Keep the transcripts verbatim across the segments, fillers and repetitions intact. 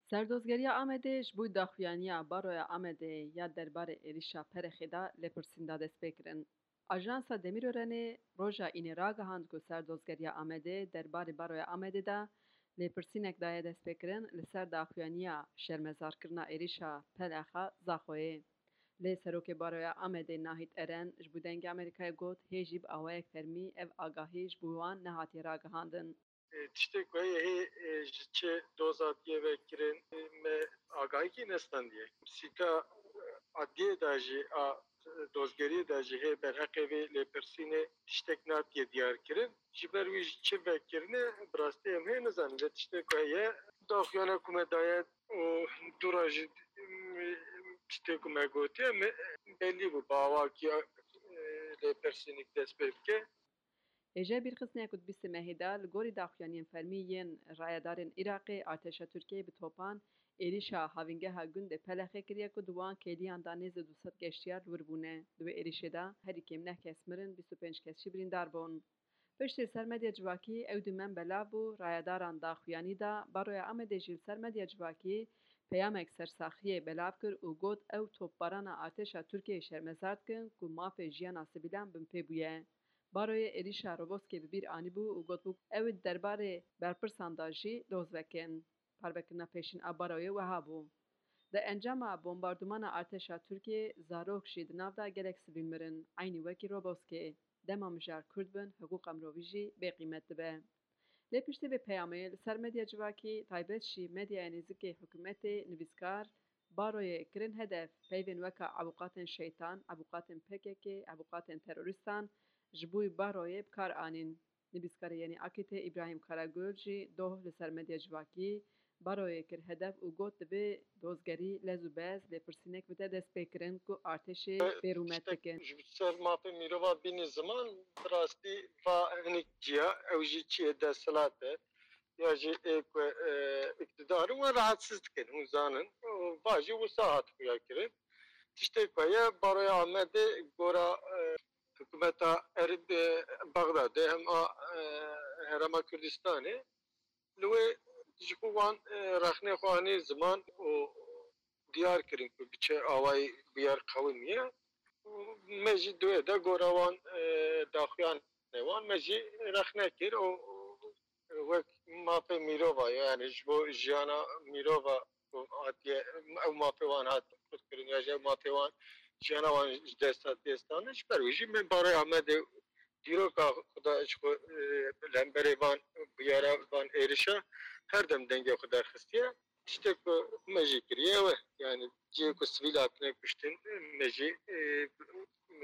Serdozgeriya Amedê ji bo daxuyaniya Baroya Amedê ya derbarê êrişa Pelexê de lêpirsîn da destpêkirin. Ajansa Demîrorenê roja Înê ragihand ku Serdozgeriya Amedê derbarê Baroya Amedê de lêpirsînek daye destpêkirin li ser daxuyaniya şermezarkirina êrişa Pelexa Zaxoyê. Lê Serokê Baroya Amedê Nahît Eren ji bo Dengê Amerîkayê got, hê jî bi awayek fermî ev agahî ji bo wan nehatiye ragihandin. Tiştê ku heye hê, e, ji çi doza diye vekirin, e, me agahîkî nestandiye. Sîka, e, adliyê de jî, a, e, dozgeriyê de jî hê berheqê vê lêpirsînê tiştek natiye diyar kirin. Ji ber wî jî çi vekirine, bi rastî em hê nizanin. Lê tiştê ku heye, daxuyana ku me daye û dûra jî, e, tiştê ku me gotiye, me belî bû, bi awakî, e, lêpirsînik dest pê bike. Hêjayê bîrxistinê ku di bîstê mehê de li gorî daxuyaniyên fermî yên rayedarên Iraqê, artêşa Tirkiyeyê bi topan êrîşa havîngeha gundê Pelexê kiriye ku di wan kêliyan de nêzî du sed geştiyar li wir bûne. Di wê êrîşê de herî kêm neh kes mirin, bîst û pênc kes jî birîndar bûn. Piştî li ser medya civakî ew dîmen belav bû, rayedaran daxuyanî da, Baroya Amedê jî li ser medya civakî peyamek sersaxiyê belav kir û got, ew topbarana artêşa Tirkiyeyê şermezar dikin ku mafê jiyana sivîlan binpê bûye. Baroyê êrîşa Roboskê bi bîr anîbû û gotibû, ew ê di derbarê berpirsan de jî doz vekin. Parvekirina pêşîn a Baroyê wiha bû. Di encama bombardûmana artêşa Tirkiyê zarok jî di nav de gelek sivîl mirin, eynî wekî Roboskê. Dema mijar Kurd bin, hiqûqa mirovî jî bêqîmet dibe. Lê piştî vê peyamê li ser medya civakî, taybet jî medyaya nêzikê hikûmetê, nivîskar Baroyê kirin hedef, peyvên weka ebûqatên şeytan, ebûqatên P K K, ebûqatên terorîstan ji bo Baroyê bi kar anîn. Nivîskarê Yenî Akitê Îbrahîm Karagul jî doh li ser medya civakî Baroyê kir hedef û got, divê dozgerî lez û bez lêpirsînek bide destpêkirin ku artêşê bê rûmet bikin. Ji ser mafê mirova bînî ziman, bi rastî va hinek ciya, ew jî çiyê desthilat e ya jî ê ku, e, îktidar in, wan rahatsiz dikin, hûn zanin. Va jî wisa hat xuya kirin. Tiştê ku heye, Baroya Amedê gora, e, hikûmeta Erb-, e, Bexdadê hem a, e, Herêma Kurdistanê li wê ji xwe wan, e, rexnê xwe anî ziman û diyar kirin ku bi çi awayî bûyer qewimiye. Û me jî di wê de gora wan, e, daxuyanê wan me jî rexne kir û wek mafê mirova, yani ji bo jiyana mirova ku hatiye, ew mafê wan hat qutkirin ya jî ew mafê wan, jiyana wan ji dest hatiye standin, ji ber wî jî me Baroya Amedê dîroka xwe da ji xwe, e, li hemberê van bûyera, van êrişa her dem dengê xwe derxistiye. Tiştek ku me jî kiriye ew e. Yani cihê ku sivîl hatine kuştin, me jî, e,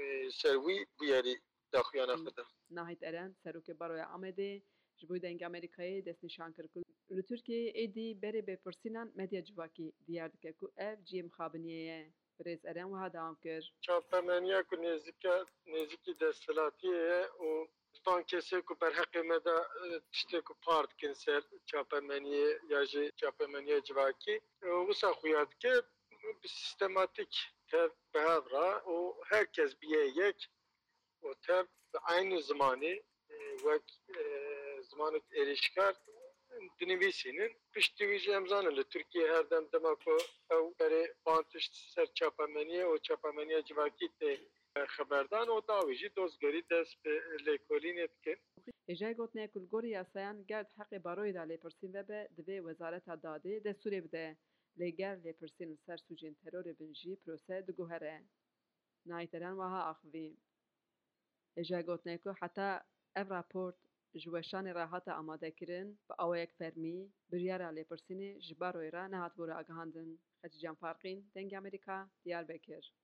e, ser wî bûyerî daxuyana xwe da. Nahît Eren, serokê Baroya Amedê, ji bo Dengê Amerîkayê destnîşan kir ku li Tirkiyeyê êdî berê bêpirsînan medya civakî diyar dike ku ev cihê mixabiniyê ye. Birêz Eren wiha dewam kir. Çapemeniya ku nêzîke, nêzîkî desthilatiyê ye û van kesê ku berheqê me de, e, tiştê ku par dikin ser çapemeniyê ya jî çapemeniya civakî, e, wisa xuya dike, bi sîstematîk tev bi hev re û her kes biye yek û tev bi eynî zimanê, e, wek, e, zimanek êrîşkar dinivîsînin. Piştî wî jî em zanin li Tirkiyê her dem dema ku ew berê van tişt ser çapemeniyê û çapemeniya civakî tê, e, xeberdan û dawî jî dozgerî dest bi lêkolînê dikin. Hêjayê gotinê ku li gorî yasayan ger di heqê Baroyê de lêpirsîn vebe, divê Wezareta Dadê destûrê bide. Lê ger lêpirsîn li ser sûcên terorê bin jî prose diguhere. Nahît Eren wiha axivî. Hêjayê gotinê ku heta ev raport ji weşanê re hate amadekirin, bi awayek fermî biryara lêpirsînê ji Baroyê re nehatibû ragihandin. Xecîcan Farqîn, Dengê Amerîka, Diyarbekir.